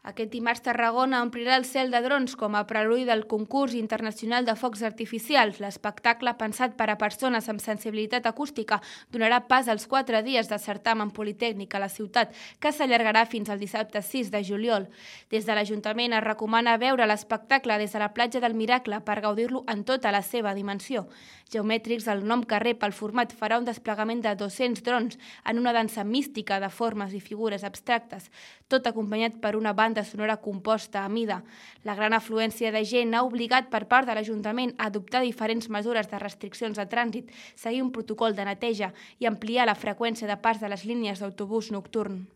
Aquest dimarts Tarragona omplirà el cel de drons com a preludi del concurs internacional de focs artificials. L'espectacle, pensat per a persones amb sensibilitat acústica, donarà pas als 4 dies de certamen politècnic a la ciutat, que s'allargarà fins al dissabte 6 de juliol. Des de l'Ajuntament es recomana veure l'espectacle des de la platja del Miracle per gaudir-lo en tota la seva dimensió. Geomètrics, el nom que rep el format, farà un desplegament de 200 drons en una dansa mística de formes i figures abstractes, tot acompanyat per una banda sonora composta a mida. La gran afluència de gent ha obligat per part de l'Ajuntament a adoptar diferents mesures de restriccions de trànsit, seguir un protocol de neteja i ampliar la freqüència de pas de les línies d'autobús nocturn.